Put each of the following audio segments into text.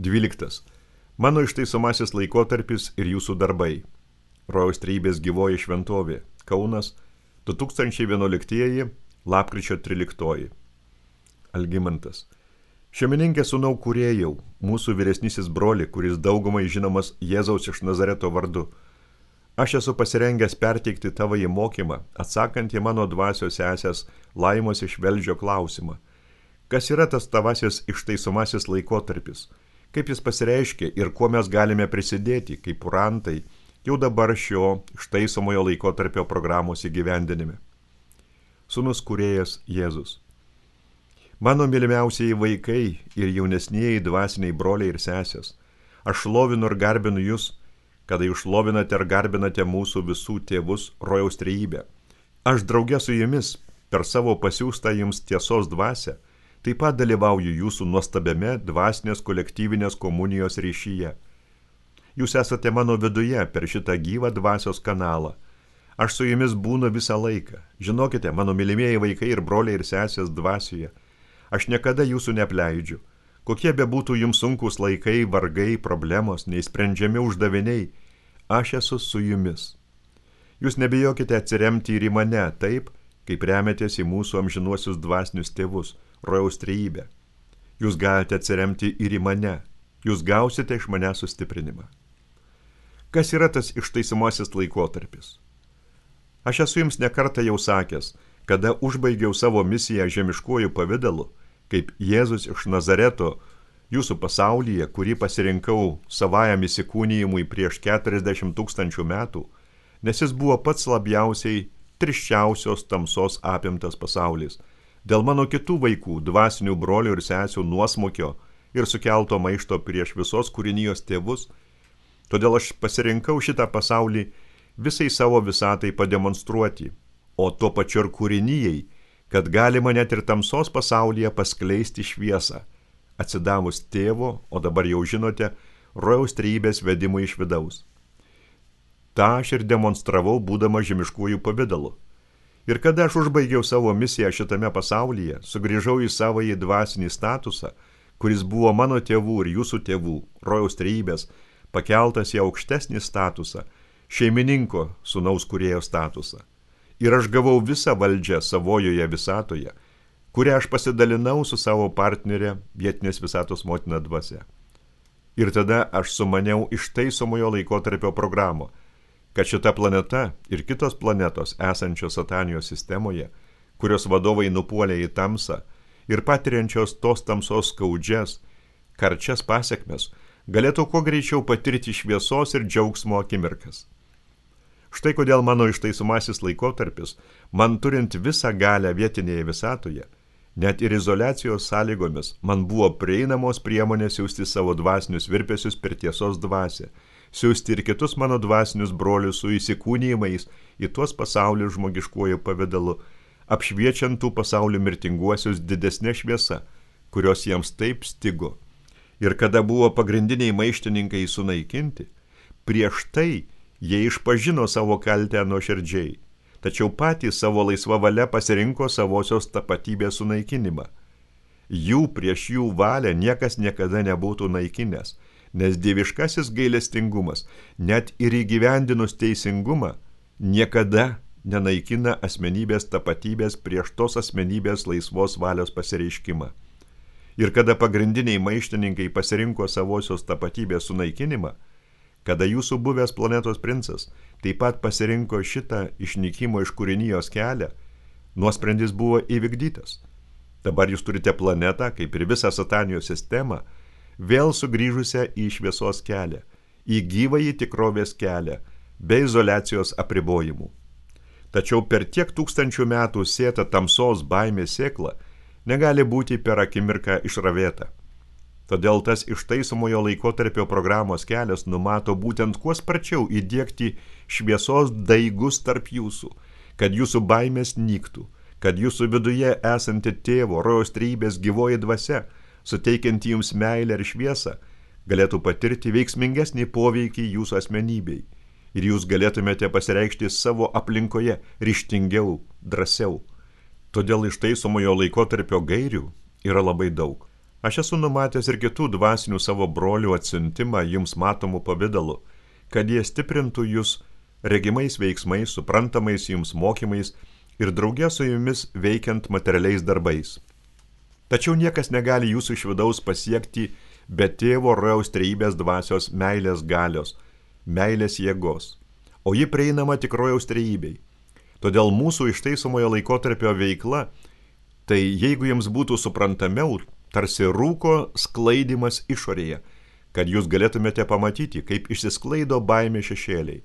12. Mano ištaisomasis laikotarpis ir jūsų darbai. Rojaus Trejybės gyvoji šventovė. Kaunas, 2011 lapkričio 13. Algimantas. Šeimininkė sūnau kūrėjau, mūsų vyresnysis broli, kuris daugumai žinomas Jėzaus iš Nazareto vardu. Aš esu pasirengęs perteikti tavąjį mokymą, atsakant į mano dvasios sesės Laimos iš Velžio klausimą. Kas yra tas tavasis ištaisomasis laikotarpis? Kaip jis pasireiškia ir kuo mes galime prisidėti, kaip purantai, jau dabar šio ištaisomojo laikotarpio programos įgyvendinime. Sūnus kūrėjas Jėzus. Mano mylimiausieji vaikai ir jaunesnieji dvasiniai broliai ir sesės, aš šlovinu ir garbinu jūs, kada jūs šlovinate ir garbinate mūsų visų tėvus Rojaus Trejybę. Aš drauge su jumis per savo pasiųstą jums tiesos dvasią taip pat dalyvauju jūsų nuostabiame dvasinės kolektyvinės komunijos ryšyje. Jūs esate mano viduje per šitą gyvą dvasios kanalą. Aš su jumis būnu visą laiką. Žinokite, mano mylimieji vaikai ir broliai ir sesės dvasioje. Aš niekada jūsų neapleidžiu. Kokie bebūtų jums sunkus laikai, vargai, problemos, neįsprendžiami uždaviniai, aš esu su jumis. Jūs nebijokite atsiremti ir į mane taip, kaip remiatės į mūsų amžinuosius dvasinius tėvus, Rojaus Trejybę. Jūs galite atsiremti ir į mane. Jūs gausite iš mane sustiprinimą. Kas yra tas ištaisomasis laikotarpis? Aš esu jums nekartą jau sakęs, kada užbaigiau savo misiją žemiškuoju pavidalu, kaip Jėzus iš Nazareto jūsų pasaulyje, kurį pasirinkau savajam įsikūnijimui prieš 40 000 metų, nes jis buvo pats labiausiai tirščiausios tamsos apimtas pasaulis, dėl mano kitų vaikų, dvasinių brolių ir sesių nuosmukio ir sukelto maišto prieš visos kūrinijos tėvus, todėl aš pasirinkau šitą pasaulį visai savo visatai pademonstruoti, o tuo pačiu ir kūrinijai, kad galima net ir tamsos pasaulyje paskleisti šviesą, atsidavus tėvo, o dabar jau žinote, Rojaus Trejybės vedimui iš vidaus. Ta aš ir demonstravau būdama žemiškųjų pavidalu. Ir kada aš užbaigiau savo misiją šitame pasaulyje, sugrįžau į savąjį dvasinį statusą, kuris buvo mano tėvų ir jūsų tėvų, Rojaus Trejybės, pakeltas į aukštesnį statusą, šeimininko sūnaus kūrėjo statusą. Ir aš gavau visą valdžią savojoje visatoje, kurią aš pasidalinau su savo partnerė vietinės visatos motina dvasia. Ir tada aš sumaniau ištaisomojo laikotarpio programą, kad šita planeta ir kitos planetos esančios Satanijos sistemoje, kurios vadovai nupuolė į tamsą ir patiriančios tos tamsos skaudžias, karčias pasekmes, galėtų kuo greičiau patirti šviesos ir džiaugsmo akimirkas. Štai kodėl mano ištaisomasis laikotarpis, man turint visą galią vietinėje visatoje, net ir izoliacijos sąlygomis, man buvo prieinamos priemonės siųsti savo dvasinius virpesius per tiesos dvasią, siųsti ir kitus mano dvasinius brolius su įsikūnijimais į tuos pasaulius žmogiškuoju pavidalu, apšviečiant tų pasaulių mirtinguosius didesnė šviesa, kurios jiems taip stigo. Ir kada buvo pagrindiniai maištininkai sunaikinti, prieš tai jie išpažino savo kaltę nuoširdžiai, tačiau patys savo laisva valia pasirinko savosios tapatybės sunaikinimą. Jų prieš jų valią niekas niekada nebūtų naikinęs, nes dieviškasis gailestingumas, net ir įgyvendinus teisingumą, niekada nenaikina asmenybės tapatybės prieš tos asmenybės laisvos valios pasireiškimą. Ir kada pagrindiniai maištininkai pasirinko savosios tapatybės sunaikinimą, kada jūsų buvęs planetos princas taip pat pasirinko šitą išnykimo iš kūrinijos kelią, nuosprendis buvo įvykdytas. Dabar jūs turite planetą, kaip ir visą Satanijos sistemą, vėl sugrįžusią į šviesos kelią, į gyvąjį tikrovės kelią, be izoliacijos apribojimų. Tačiau per tiek tūkstančių metų sėta tamsos baimės sėkla negali būti per akimirką išravėta. Todėl tas ištaisomojo laikotarpio programos kelias numato būtent kuo sparčiau įdiegti šviesos daigus tarp jūsų, kad jūsų baimės nyktų, kad jūsų viduje esanti tėvo Rojaus Trejybės gyvoji dvasia, suteikianti jums meilę ir šviesą, galėtų patirti veiksmingesnį poveikį jūsų asmenybei ir jūs galėtumėte pasireikšti savo aplinkoje ryžtingiau, drąsiau. Todėl ištaisomojo laikotarpio gairių yra labai daug. Aš esu numatęs ir kitų dvasinių savo brolių atsiuntimą jums matomų pavidalu, kad jie stiprintų jūs regimais veiksmais, suprantamais jums mokymais ir draugė su jumis veikiant materialiais darbais. Tačiau niekas negali jūsų iš vidaus pasiekti be tėvo rojaus trejybės dvasios meilės galios, meilės jėgos, o ji prieinama tik rojaus trejybei. Todėl mūsų ištaisomojo laikotarpio veikla, tai jeigu jums būtų suprantamiau, tarsi rūko sklaidimas išorėje, kad jūs galėtumėte pamatyti, kaip išsisklaido baimė šešėliai.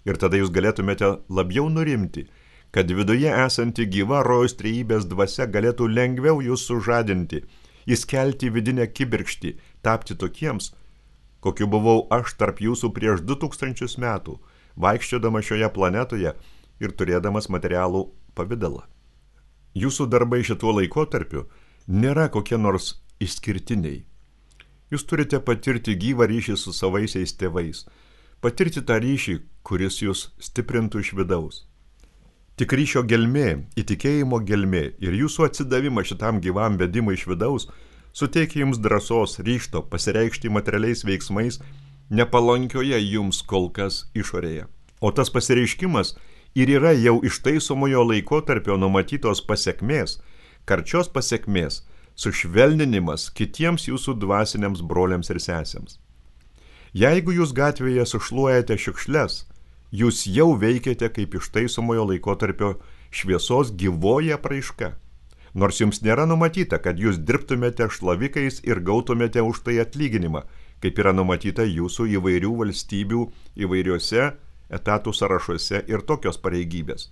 Ir tada jūs galėtumėte labiau nurimti, kad viduje esanti gyva rojaus trejybės dvasia galėtų lengviau jūs sužadinti, įskelti vidinę kibirkštį, tapti tokiems, kokiu buvau aš tarp jūsų prieš 2000 metų, vaikščiodama šioje planetoje ir turėdamas materialų pavidalą. Jūsų darbai šituo laikotarpiu nėra kokie nors išskirtiniai. Jūs turite patirti gyvą ryšį su savaisiais tėvais, patirti tą ryšį, kuris jūs stiprintų iš vidaus. Tik ryšio gelmė, įtikėjimo gelmė ir jūsų atsidavimas šitam gyvam vedimui iš vidaus suteikia jums drąsos, ryžto pasireikšti materialiais veiksmais nepalankioje jums kol kas išorėje. O tas pasireiškimas ir yra jau ištaisomojo laikotarpio numatytos pasekmės, karčios pasekmės, sušvelninimas kitiems jūsų dvasiniams broliams ir sesėms. Jeigu jūs gatvėje sušluojate šiukšles, jūs jau veikiate kaip ištaisomojo laikotarpio šviesos gyvoji apraiška. Nors jums nėra numatyta, kad jūs dirbtumėte šlavikais ir gautumėte už tai atlyginimą, kaip yra numatyta jūsų įvairių valstybių įvairiuose etatų sąrašuose ir tokios pareigybės.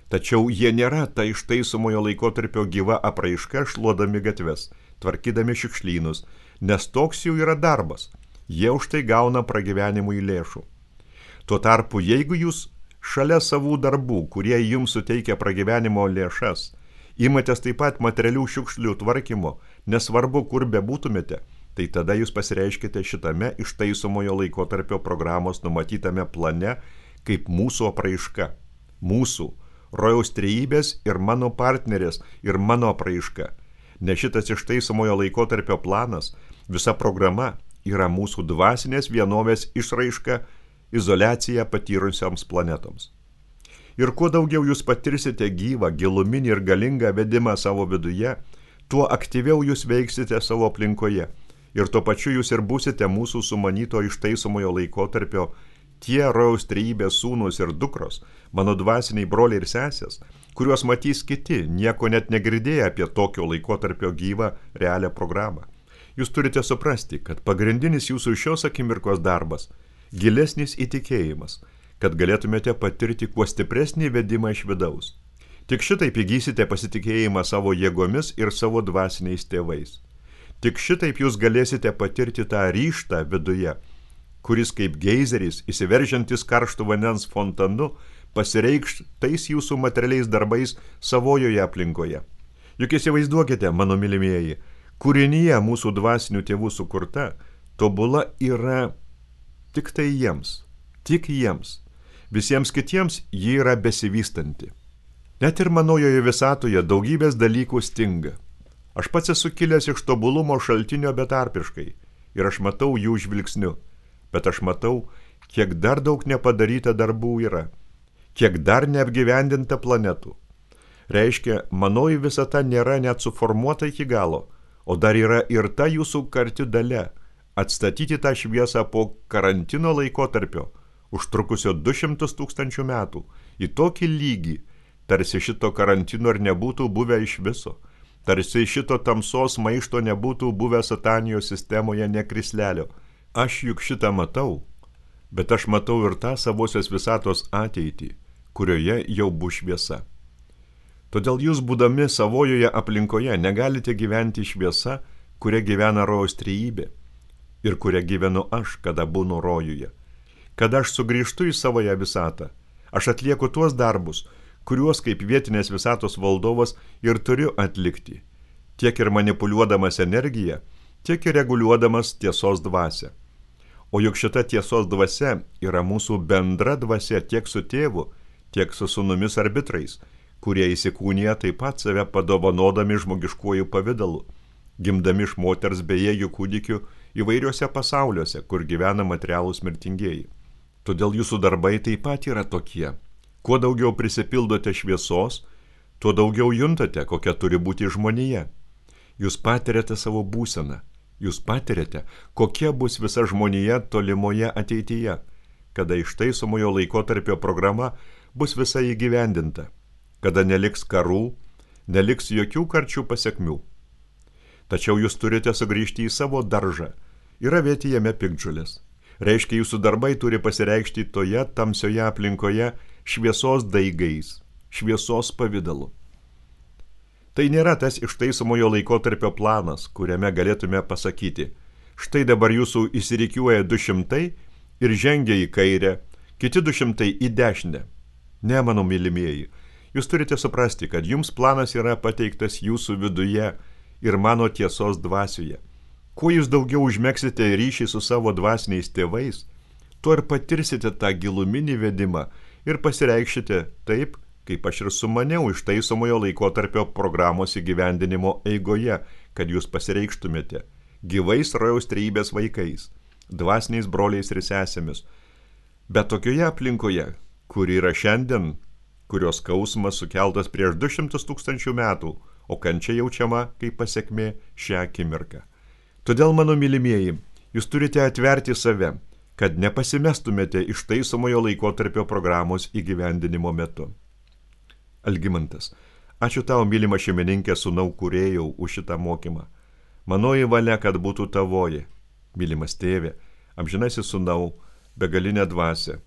Tačiau jie nėra ta ištaisomojo laikotarpio gyva apraiška šluodami gatves, tvarkydami šiukšlynus, nes toks jų yra darbas. Jie už tai gauna pragyvenimui lėšų. Tuo tarpu, jeigu jūs šalia savų darbų, kurie jums suteikia pragyvenimo lėšas, imatės taip pat materialių šiukšlių tvarkymo, nesvarbu, kur bebūtumėte, tai tada jūs pasireiškite šitame ištaisomojo laikotarpio programos numatytame plane kaip mūsų apraiška. Mūsų, rojaus trejybės ir mano partnerės ir mano apraiška. Nes šitas ištaisomojo laikotarpio planas, visa programa yra mūsų dvasinės vienovės išraiška izoliaciją patyrusioms planetoms. Ir kuo daugiau jūs patirsite gyvą, giluminį ir galingą vedimą savo viduje, tuo aktyviau jūs veiksite savo aplinkoje. Ir tuo pačiu jūs ir būsite mūsų sumanyto ištaisomojo laikotarpio tie rojaus trejybės sūnus ir dukros, mano dvasiniai broliai ir sesės, kuriuos matys kiti, nieko net negirdėję apie tokio laikotarpio gyvą realią programą. Jūs turite suprasti, kad pagrindinis jūsų šios akimirkos darbas – gilesnis įtikėjimas, kad galėtumėte patirti kuo stipresnį vedimą iš vidaus. Tik šitaip įgysite pasitikėjimą savo jėgomis ir savo dvasiniais tėvais. Tik šitaip jūs galėsite patirti tą ryžtą viduje, kuris kaip geizeris, įsiveržiantis karštų vandens fontanu, pasireikš tais jūsų materialiais darbais savojoje aplinkoje. Juk įsivaizduokite, mano mylimieji, kūrinyje mūsų dvasinių tėvų sukurta, tobula yra tik tai jiems, tik jiems. Visiems kitiems ji yra besivystanti. Net ir manojoje visatoje daugybės dalykų stinga. Aš pats esu kilęs iš tobulumo šaltinio betarpiškai ir aš matau jų žvilgsniu, bet aš matau, kiek dar daug nepadaryta darbų yra, kiek dar neapgyvendinta planetų. Reiškia, manoji visata nėra net suformuota iki galo, o dar yra ir ta jūsų karti dalia atstatyti tą šviesą po karantino laikotarpio, užtrukusio 200 000 metų, į tokį lygį, tarsi šito karantino ir nebūtų buvę iš viso, tarsi šito tamsos maišto nebūtų buvę satanijos sistemoje nekrislelio. Aš juk šitą matau, bet aš matau ir tą savosios visatos ateitį, kurioje jau bus šviesa. Todėl jūs, būdami savojoje aplinkoje, negalite gyventi šviesa, kuria gyvena rojaus trejybė ir kuria gyvenu aš, kada būnu rojuje. Kada aš sugrįžtu į savoją visatą, aš atlieku tuos darbus, kuriuos kaip vietinės visatos valdovas ir turiu atlikti, tiek ir manipuliuodamas energiją, tiek ir reguliuodamas tiesos dvasią. O juk šita tiesos dvasia yra mūsų bendra dvasia tiek su tėvu, tiek su sūnumis arbitrais, kurie įsikūnija taip pat save padovanodami žmogiškuoju pavidalu, gimdami iš moters bejėgių kūdikių įvairiuose pasauliuose, kur gyvena materialūs mirtingieji. Todėl jūsų darbai taip pat yra tokie. Kuo daugiau prisipildote šviesos, tuo daugiau juntate, kokia turi būti žmonija. Jūs patiriate savo būseną. Jūs patiriate, kokia bus visa žmonija tolimoje ateityje, kada ištaisomojo laikotarpio programa bus visa įgyvendinta, kada neliks karų, neliks jokių karčių pasekmių. Tačiau jūs turite sugrįžti į savo daržą ir ravėti jame piktžolės. Reiškia, jūsų darbai turi pasireikšti toje tamsioje aplinkoje šviesos daigais, šviesos pavidalu. Tai nėra tas ištaisomojo laikotarpio planas, kuriame galėtume pasakyti, štai dabar jūsų įsirikiuoja 200 ir žengia į kairę, kiti 200 į dešinę. Ne, mano mylimieji, jūs turite suprasti, kad jums planas yra pateiktas jūsų viduje ir mano tiesos dvasioje. Kuo jūs daugiau užmegsite ryšį su savo dvasiniais tėvais, tuo ir patirsite tą giluminį vedimą ir pasireikšite taip, kaip aš ir sumaniau ištaisomojo laikotarpio programos įgyvendinimo eigoje, kad jūs pasireikštumėte gyvais rojaus trejybės vaikais, dvasiniais broliais ir sesėmis, bet tokioje aplinkoje, kuri yra šiandien, kurios skausmas sukeltas prieš 200 000 metų, o kančia jaučiama kaip pasekmė šią akimirką. Todėl, mano mylimieji, jūs turite atverti save, kad nepasimestumėte ištaisomojo laikotarpio programos įgyvendinimo metu. Algimantas, ačiū tau, mylima šeimininkė, sūnau kūrėjau, už šitą mokymą. Manoji valia, kad būtų tavoji, mylimas tėve, amžinasis sūnau, begalinė dvasia,